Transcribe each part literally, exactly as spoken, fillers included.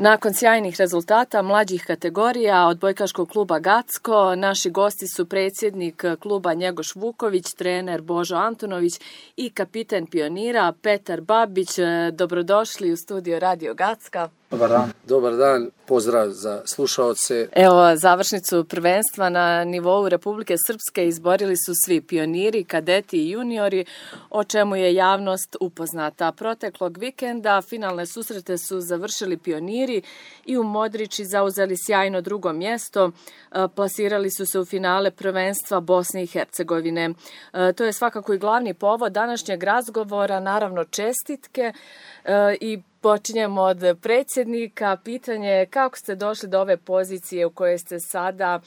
Nakon sjajnih rezultata mlađih kategorija odbojkaškog kluba Gacko, naši gosti su predsjednik kluba Njegoš Vuković, trener Božo Antunović i kapiten Pionira Petar Babić. Dobrodošli u studio Radio Gacka. Dobar dan. Dobar dan, pozdrav za slušaoce. Evo, završnicu prvenstva na nivou Republike Srpske izborili su svi pioniri, kadeti i juniori, o čemu je javnost upoznata. Proteklog vikenda finalne susrete su završili pioniri i u Modriči zauzeli sjajno drugo mjesto. Plasirali su se u finale prvenstva Bosne i Hercegovine. To je svakako i glavni povod današnjeg razgovora, naravno čestitke i počinjemo od predsjednika. Pitanje je kako ste došli do ove pozicije u kojoj ste sada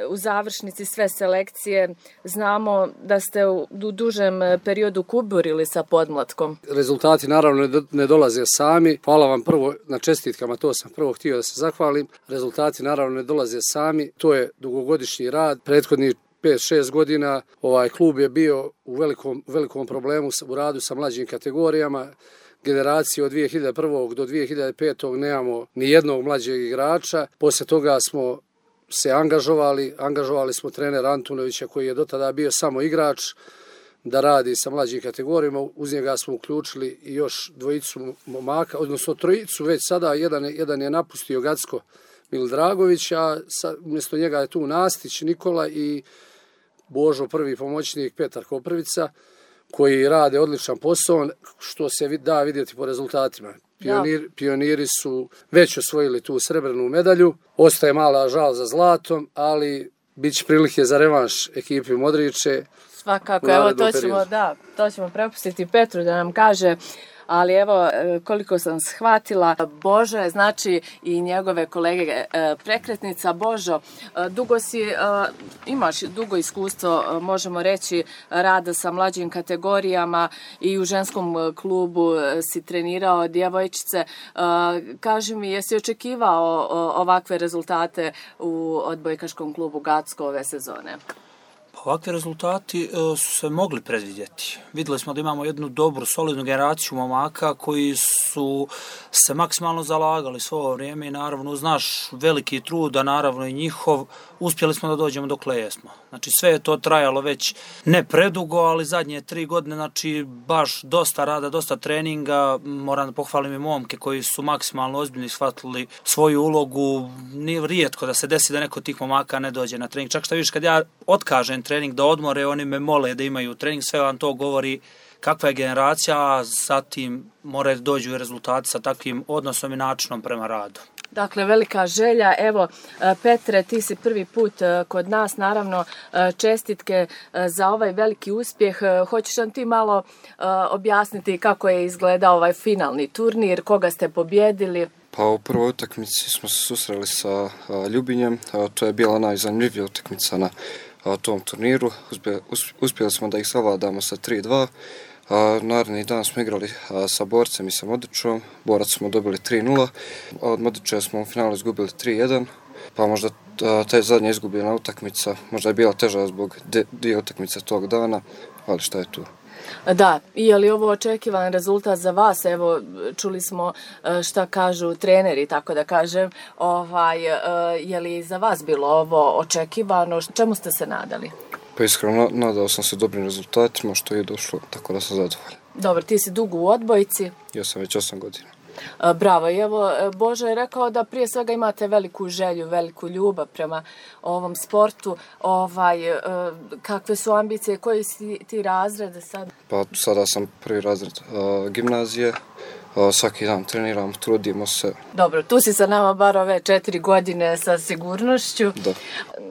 u završnici sve selekcije. Znamo da ste u dužem periodu kuburili sa podmlatkom. Rezultati naravno ne dolaze sami. Hvala vam prvo na čestitkama, to sam prvo htio da se zahvalim. Rezultati naravno ne dolaze sami, to je dugogodišnji rad. Prethodni pet šest godina ovaj klub je bio u velikom, velikom problemu u radu sa mlađim kategorijama. Generaciji od dvije hiljade prve. do dvije hiljade pete. nemamo ni jednog mlađeg igrača. Poslije toga smo se angažovali, angažovali smo trenera Antunovića koji je do tada bio samo igrač da radi sa mlađim kategorijama. Uz njega smo uključili i još dvojicu momaka, odnosno trojicu već sada. Jedan, jedan je napustio Gacko, Mil Dragović, a sa, umjesto njega je tu Nastić, Nikola i Božo prvi pomoćnik Petar Koprivica, koji rade odličan posao, što se da vidjeti po rezultatima. Pionir, pioniri su već osvojili tu srebrnu medalju. Ostaje mala žal za zlatom, ali bit će prilike za revanš ekipi Modriče. Svakako, evo to ćemo, da, to ćemo prepustiti Petru da nam kaže. Ali evo, koliko sam shvatila, Božo je, znači, i njegove kolege prekretnica. Božo, dugo si, imaš dugo iskustvo, možemo reći, rada sa mlađim kategorijama i u ženskom klubu si trenirao djevojčice. Kaži mi, jesi očekivao ovakve rezultate u odbojkaškom klubu Gacko ove sezone? Ovakvi rezultati su se mogli predvidjeti. Vidjeli smo da imamo jednu dobru, solidnu generaciju momaka koji su se maksimalno zalagali svo ovo vrijeme i naravno uz naš veliki trud, a naravno i njihov, uspjeli smo da dođemo dokle jesmo. Znači sve je to trajalo već ne predugo, ali zadnje tri godine, znači baš dosta rada, dosta treninga. Moram da pohvalim i momke koji su maksimalno ozbiljno shvatili svoju ulogu. Nije rijetko da se desi da neko od tih momaka ne dođe na trening. Čak što vidiš kad ja otkažem trening da odmore, oni me mole da imaju trening, sve vam to govori kakva je generacija, a zatim moraju dođu i rezultati sa takvim odnosom i načinom prema radu. Dakle, velika želja. Evo, Petre, ti si prvi put kod nas, naravno, čestitke za ovaj veliki uspjeh. Hoćeš nam ti malo objasniti kako je izgledao ovaj finalni turnir, koga ste pobjedili? Pa u prvoj utakmici smo se susreli sa Ljubinjem, to je bila najzanimljivija utakmica na tom turniru. Uspjeli smo da ih savladamo sa tri dva. Naredni dan smo igrali sa Borcem i sa Modričom. Borac smo dobili tri nula. Od Modriča smo u finalu izgubili tri jedan. Pa možda ta zadnja izgubljena utakmica možda je bila teža zbog dvije utakmice tog dana, ali šta je tu? Da, i je li ovo očekivan rezultat za vas? Evo, čuli smo šta kažu treneri, tako da kažem. Ovaj, je li za vas bilo ovo očekivano? Čemu ste se nadali? Pa iskreno, nadao sam se dobrim rezultatima, što je došlo, tako da sam zadovoljan. Dobro, ti si dugo u odbojci. Ja sam već osam godina. Bravo, i evo, Božo je rekao da prije svega imate veliku želju, veliku ljubav prema ovom sportu. Ovaj, kakve su ambicije, koji si ti razred sad? Pa sada sam prvi razred uh, gimnazije. Svaki dan treniram, trudimo se. Dobro, tu si sa nama bar ove četiri godine sa sigurnošću. Da.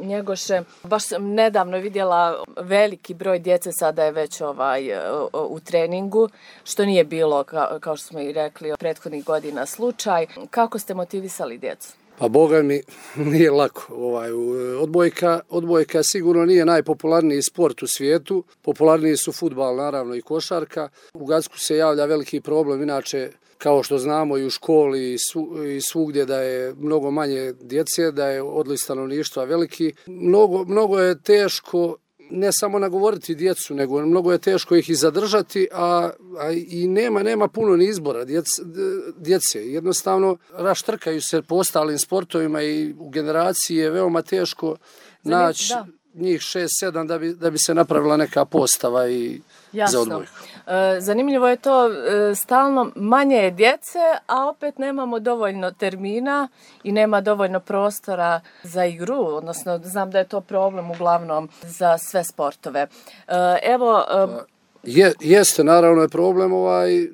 Njegoše, baš sam nedavno vidjela veliki broj djece sada je već ovaj, u treningu, što nije bilo, kao, kao što smo i rekli, prethodnih godina slučaj. Kako ste motivisali djecu? Pa boga mi nije lako. Ovaj, odbojka, odbojka sigurno nije najpopularniji sport u svijetu. Popularniji su fudbal, naravno, i košarka. U Gacku se javlja veliki problem, inače, kao što znamo i u školi i, svu, i svugdje da je mnogo manje djece, da je odliv stanovništva veliki. Mnogo, mnogo je teško ne samo nagovoriti djecu, nego mnogo je teško ih i zadržati, a, a i nema, nema puno ni izbora djece, djece. Jednostavno raštrkaju se po ostalim sportovima i u generaciji je veoma teško naći njih šest sedam da bi, da bi se napravila neka postava i Jasno. za odbojku. E, zanimljivo je to, e, stalno manje je djece, a opet nemamo dovoljno termina i nema dovoljno prostora za igru, odnosno znam da je to problem uglavnom za sve sportove. E, evo... E, Je, jeste, naravno je problem, ovaj, e,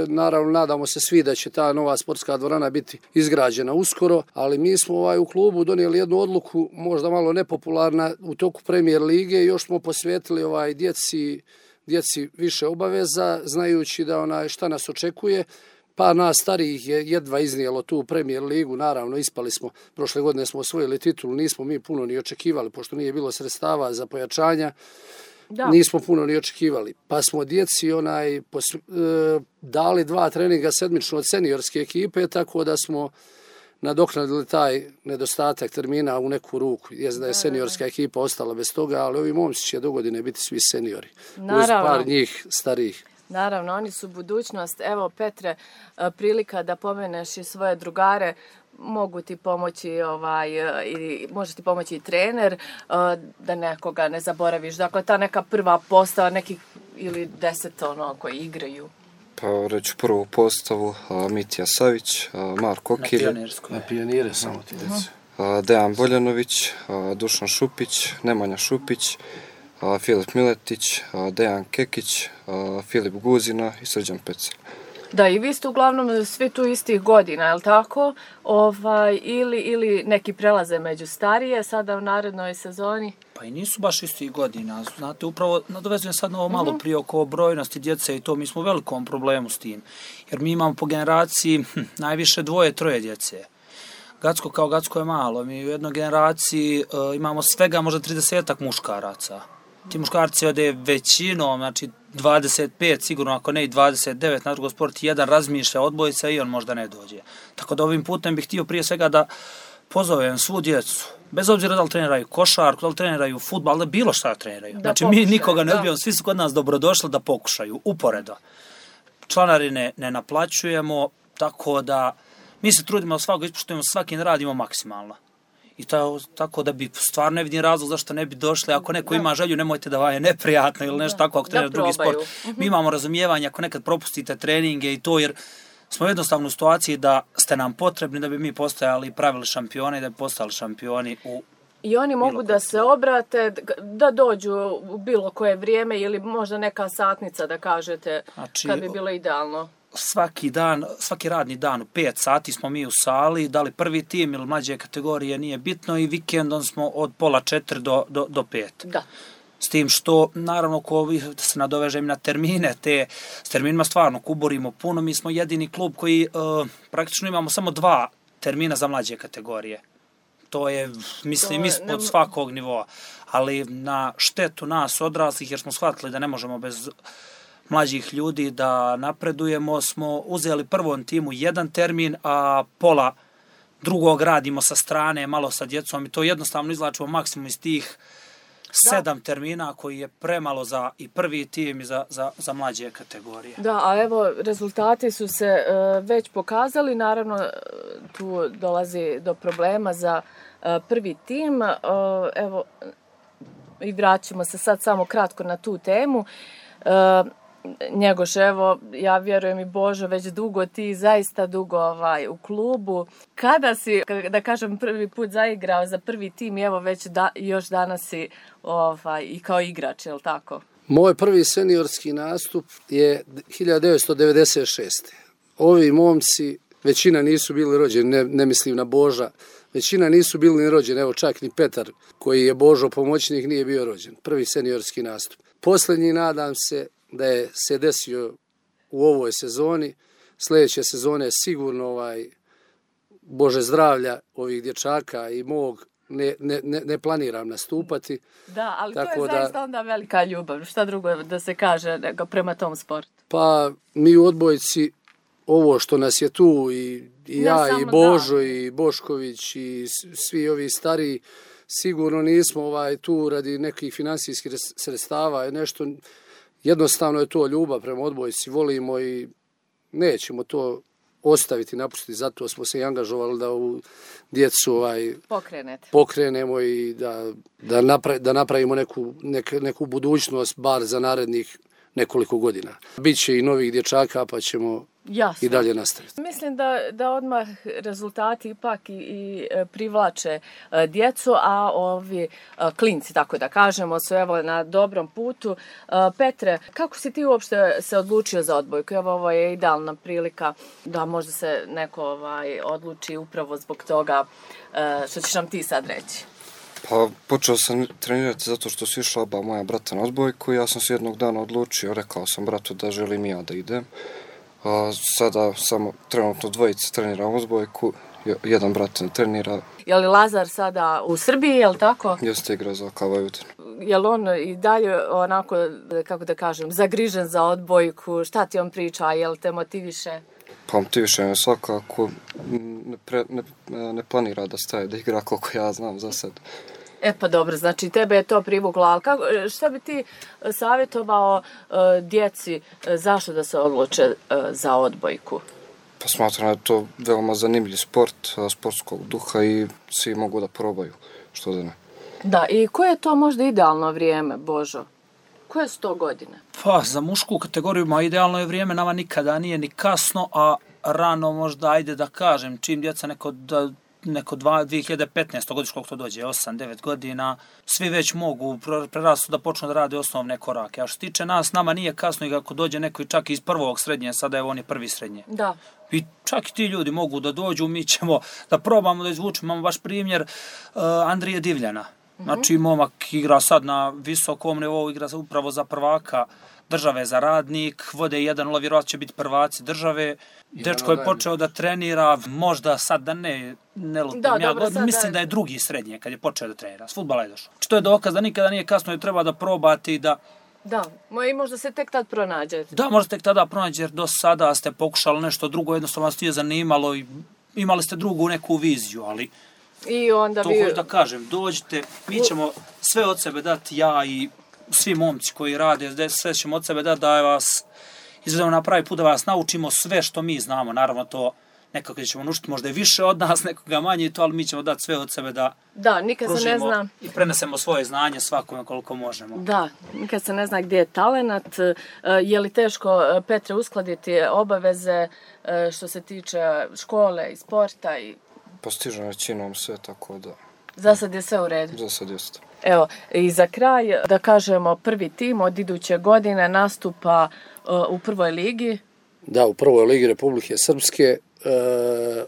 naravno nadamo se svi da će ta nova sportska dvorana biti izgrađena uskoro, ali mi smo ovaj, u klubu donijeli jednu odluku, možda malo nepopularna, u toku Premier lige, još smo posvetili ovaj, djeci, djeci više obaveza, znajući da onaj, šta nas očekuje. Pa nas starijih je jedva iznijelo tu Premier ligu, naravno ispali smo, prošle godine smo osvojili titulu, nismo mi puno ni očekivali, pošto nije bilo sredstava za pojačanja. Da. Nismo puno ni očekivali. Pa smo djeci onaj pos, e, dali dva treninga sedmično od seniorske ekipe, tako da smo nadoknadili taj nedostatak termina u neku ruku. Jest da je seniorska ekipa ostala bez toga, ali ovi momci će do godine biti svi seniori. Naravno. Uz par njih starijih. Naravno, oni su budućnost. Evo, Petre, prilika da pomeneš i svoje drugare. Mogu ti pomoći ovaj, i može ti pomoći i trener da nekoga ne zaboraviš. Dakle, ta neka prva postava, nekih ili deset ono koji igraju. Pa reću prvu postavu, Mitja Savić, Marko Okilj. Na pionire samo ti deci. Dejan Boljanović, Dušan Šupić, Nemanja Šupić, Filip Miletić, Dejan Kekić, Filip Guzina i Srđan Pecelj. Da, i vi ste uglavnom svi tu istih godina, je li tako? Ovaj, ili, ili neki prelaze među starije sada u narednoj sezoni? Pa i nisu baš istih godina. Znate, upravo nadovezujem sad na ovo malo prije oko brojnosti djece i to, mi smo u velikom problemu s tim. Jer mi imamo po generaciji hm, najviše dvoje, troje djece. Gacko kao Gacko je malo. Mi u jednoj generaciji uh, imamo svega možda tridesetak muškaraca. Ti muškarci ode većinom, znači dvadeset pet sigurno, ako ne i dvadeset devet na drugo sport, jedan razmišlja odbojica i on možda ne dođe. Tako da ovim putem bih htio prije svega da pozovem svu djecu, bez obzira da li treniraju košarku, da li treniraju fudbal, da bilo šta treniraju. Da znači pokušaju, mi nikoga ne odbijamo, svi su kod nas dobrodošli da pokušaju, uporedo. Članarine ne naplaćujemo, tako da mi se trudimo da svakog ispoštujemo, svakim radimo maksimalno. I to tako da bi stvarno ne vidim razlog zašto ne bi došli. Ako neko ima želju, nemojte da vam je neprijatno ili nešto tako, ako trenira drugi sport. Mi imamo razumijevanje ako nekad propustite treninge i to, jer smo jednostavno u situaciji da ste nam potrebni da bi mi postojali i pravili šampione i da bi postali šampioni u I oni mogu da se obrate, da dođu u bilo koje vrijeme ili možda neka satnica da kažete, znači, kad bi bilo idealno. Svaki dan, svaki radni dan u pet sati smo mi u sali, da li prvi tim ili mlađe kategorije nije bitno i vikendom smo od pola četiri do, do, do pet. Da. S tim što, naravno, ko da se nadovežem na termine, te s terminima stvarno kuborimo puno, mi smo jedini klub koji uh, praktično imamo samo dva termina za mlađe kategorije. To je, mislim, to je, ispod ne... svakog nivoa, ali na štetu nas odraslih, jer smo shvatili da ne možemo bez mlađih ljudi da napredujemo, smo uzeli prvom timu jedan termin, a pola drugog radimo sa strane, malo sa djecom i to jednostavno izlačimo maksimum iz tih sedam da. termina koji je premalo za i prvi tim i za, za, za mlađe kategorije. Da, a evo, rezultati su se uh, već pokazali, naravno tu dolazi do problema za uh, prvi tim. Uh, evo, i vraćamo se sad samo kratko na tu temu. Uh, Njegoš, evo, ja vjerujem i Božo, već dugo, ti zaista dugo ovaj, u klubu. Kada si, da kažem, prvi put zaigrao za prvi tim i evo već da, još danas si ovaj, i kao igrač, je li tako? Moj prvi seniorski nastup je hiljadu devetsto devedeset šeste. Ovi momci, većina nisu bili rođeni, ne, ne mislim na Boža, većina nisu bili ni rođeni, evo čak ni Petar, koji je Božo pomoćnik, nije bio rođen. Prvi seniorski nastup. Posljednji, nadam se, da je se desio u ovoj sezoni. Sljedeće sezone sigurno ovaj Bože zdravlja ovih dječaka i mog ne, ne, ne planiram nastupati. Da, ali tako to je zaista da, onda velika ljubav. Šta drugo da se kaže nego prema tom sportu? Pa mi u odbojci ovo što nas je tu i, i ja i Božo da. i Bošković i svi ovi stariji, sigurno nismo ovaj tu radi nekih finansijskih sredstava i nešto, jednostavno je to ljubav prema odbojci, volimo i nećemo to ostaviti, napustiti, zato smo se i angažovali da u djecu ovaj, pokrenemo i da, da, napra, da napravimo neku, nek, neku budućnost bar za narednih nekoliko godina. Biće i novih dječaka pa ćemo Jasno. I dalje nastaviti. Mislim da, da odmah rezultati ipak i, i privlače djecu, a ovi klinci, tako da kažemo, su evo na dobrom putu. Petre, kako si ti uopšte se odlučio za odbojku? Evo, ovo je idealna prilika da možda se neko ovaj, odluči upravo zbog toga što ćeš nam ti sad reći. Pa počeo sam trenirati zato što su išla oba moja brata na odbojku i ja sam se jednog dana odlučio, rekao sam bratu da želim ja da idem. A sada samo trenutno dvojice treniram odbojku, jedan brat ne trenira. Je li Lazar sada u Srbiji, je li tako? Jeste, igra za K Vojvodinu. Je li on i dalje onako, kako da kažem, zagrižen za odbojku? Šta ti on priča, je li te motiviše? Pa motiviše me svakako, ne, pre, ne, ne planira da staje da igra koliko ja znam za sad. E pa dobro, znači tebe je to privuklo, ali kako, šta bi ti savjetovao uh, djeci uh, zašto da se odluče uh, za odbojku? Pa smatram da je to veoma zanimljiv sport, sportskog duha i svi mogu da probaju, što da ne. Da, i koje je to možda idealno vrijeme, Božo? Koje su to godine? Pa, za mušku kategoriju ma idealno je vrijeme, nama nikada nije ni kasno, a rano možda, ajde da kažem, čim djeca neko da neko dvije hiljade petnaeste. godiš koliko to dođe, osam devet godina, svi već mogu prerastu da počnu da rade osnovne korake. A što tiče nas, nama nije kasno i ako dođe neko i čak iz prvog srednje, sada je on je prvi srednje. Da. I čak i ti ljudi mogu da dođu, mi ćemo da probamo da izvučemo. Imamo baš primjer uh, Andrije Divljana. Znači, momak igra sad na visokom nivou, igra upravo za prvaka države za Radnik, vode jedan, ali vjerojatno će biti prvaci države. Dečko je počeo da trenira, možda sad da ne, ne lutim da, ja, dobro, god, mislim da je drugi srednje kad je počeo da trenira. S fudbala je došao. Znači, to je dokaz da nikada nije kasno i treba da probate i da... Da, i možda se tek tad pronađete. Da, možda tek tada pronađete, jer do sada ste pokušali nešto drugo, jednostavno vas nije zanimalo i imali ste drugu neku viziju, ali... I onda to vi... hoću da kažem, dođite, mi ćemo sve od sebe dati, ja i svi momci koji rade, sve ćemo od sebe dati da vas izvedemo na pravi put, da vas naučimo sve što mi znamo. Naravno to nekako ćemo naučiti možda i više od nas, nekoga manje i to, ali mi ćemo dati sve od sebe da da, nikad se ne zna i prenesemo svoje znanje svakome koliko možemo. Da, nikad se ne zna gdje je talenat. Je li teško, Petre, uskladiti obaveze što se tiče škole i sporta i... Postižem većinom sve, tako da... Za sad je sve u redu? Za sad jeste. Evo, i za kraj, da kažemo, prvi tim od iduće godine nastupa uh, u prvoj ligi. Da, u prvoj ligi Republike Srpske. E,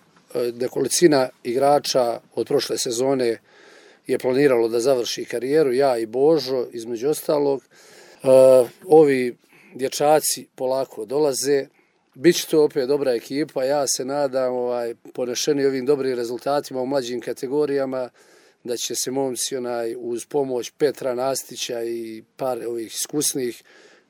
nekolicina igrača od prošle sezone je planiralo da završi karijeru, ja i Božo, između ostalog. E, ovi dječaci polako dolaze. Biće to opet dobra ekipa, ja se nadam, ovaj, ponešeni ovim dobrim rezultatima u mlađim kategorijama, da će se momci onaj, uz pomoć Petra Nastića i par ovih iskusnih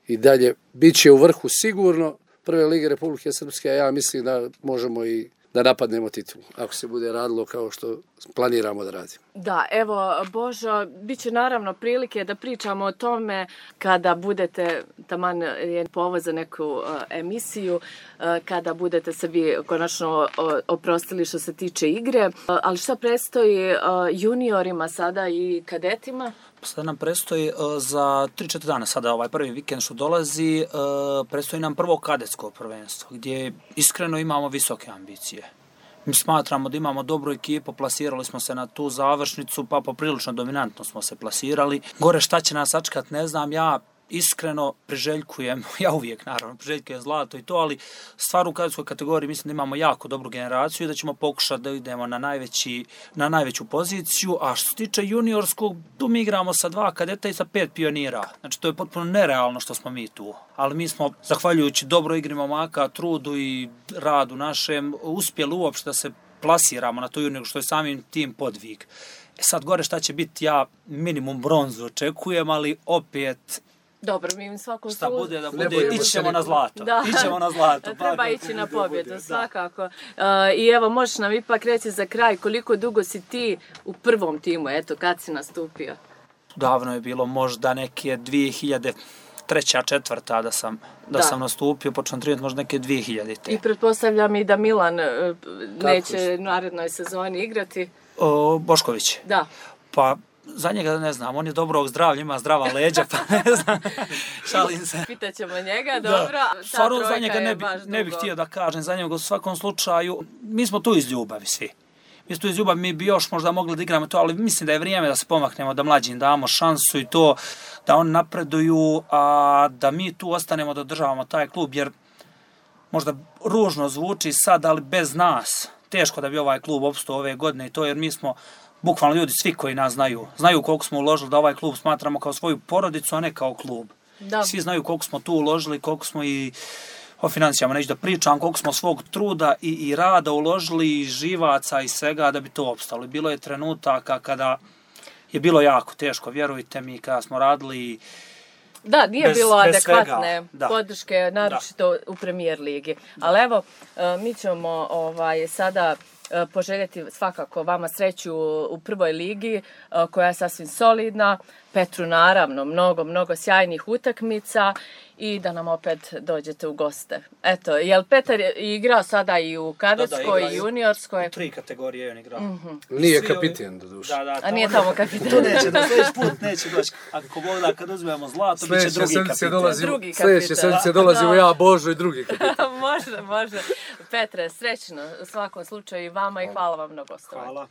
i dalje biće u vrhu sigurno prve lige Republike Srpske, a ja mislim da možemo i da napadnemo titulu, ako se bude radilo kao što planiramo da radimo. Da, evo, Božo, bit će naravno prilike da pričamo o tome kada budete, taman je povod za neku uh, emisiju, uh, kada budete se vi konačno uh, oprostili što se tiče igre, uh, ali šta predstoji uh, juniorima sada i kadetima? Sada nam predstoji uh, za tri četiri dana, sada ovaj prvi vikend što dolazi, uh, predstoji nam prvo kadetsko prvenstvo, gdje iskreno imamo visoke ambicije. Mi smatramo da imamo dobru ekipu, plasirali smo se na tu završnicu, pa poprilično dominantno smo se plasirali. Gore šta će nas sačekat, ne znam, ja iskreno priželjkujem, ja uvijek naravno priželjkujem zlato i to, ali stvar u kadetskoj kategoriji mislim da imamo jako dobru generaciju i da ćemo pokušati da idemo na, najveći, na najveću poziciju, a što se tiče juniorskog, tu mi igramo sa dva kadeta i sa pet pionira, znači to je potpuno nerealno što smo mi tu, ali mi smo, zahvaljujući dobroj igri momaka, trudu i radu našem, uspjeli uopšte da se plasiramo na to junior, što je samim tim podvig. E sad gore šta će biti, ja minimum bronzu očekujem, ali opet Dobro, mi im svako Šta bude da bude, bojimo ići se ćemo na nikoga. zlato. Da. Ićemo na zlato. Treba pa ići kako na bude, bude, pobjedu, da. svakako. Uh, I evo, možeš nam ipak reći za kraj koliko dugo si ti u prvom timu, eto, kad si nastupio? Davno je bilo možda neke dvije hiljade treća, četvrta da sam, da, Da. sam nastupio, počnem trenirati možda neke dvije hiljade. I pretpostavljam i da Milan uh, neće je? u narednoj sezoni igrati. O, Bošković. Da. Pa za njega ne znam, on je dobrog zdravlja, ima zdrava leđa, pa ne znam, šalim se. Pitaćemo njega, dobro. Ta Stvarno za trojka njega je ne, bi, baš ne bih dugo. htio da kažem za njega u svakom slučaju. Mi smo tu iz ljubavi svi. Mi smo tu iz ljubavi, mi bi još možda mogli da igramo to, ali mislim da je vrijeme da se pomaknemo, da mlađim damo šansu i to, da oni napreduju, a da mi tu ostanemo da održavamo taj klub, jer možda ružno zvuči sad, ali bez nas teško da bi ovaj klub opstao ove godine i to, jer mi smo bukvalno ljudi svi koji nas znaju, znaju koliko smo uložili da ovaj klub smatramo kao svoju porodicu, a ne kao klub. Da. Svi znaju koliko smo tu uložili, koliko smo i o financijama neću da pričam, koliko smo svog truda i, i rada uložili, i živaca i svega da bi to opstalo. Bilo je trenutaka kada je bilo jako teško, vjerujte mi, kada smo radili. Da, nije Bez- bilo bez adekvatne svega, da. podrške, naročito u premijer ligi. Ali evo, e, mi ćemo ovaj, sada e, poželjeti svakako vama sreću u prvoj ligi, e, koja je sasvim solidna. Petru naravno, mnogo, mnogo sjajnih utakmica i da nam opet dođete u goste. Eto, jel Petar je igrao sada i u kadetskoj igra i i- juniorskoj? U tri kategorije je on igrao. Nije Svi ovi- kapiten do duše. Da, da, A nije on- tamo kapitan. To neće, da sljedeći put neće doći. Ako Bog da, kad uzmemo zlato, bit će Sljedeće drugi sedmice kapitan. dolazi, Drugi sljedeće kapitan. sedmice dolazi u ja, Božo i drugi kapitan. može, može. Petre, srećno u svakom slučaju i vama i hvala vam na gostovanju. Hvala.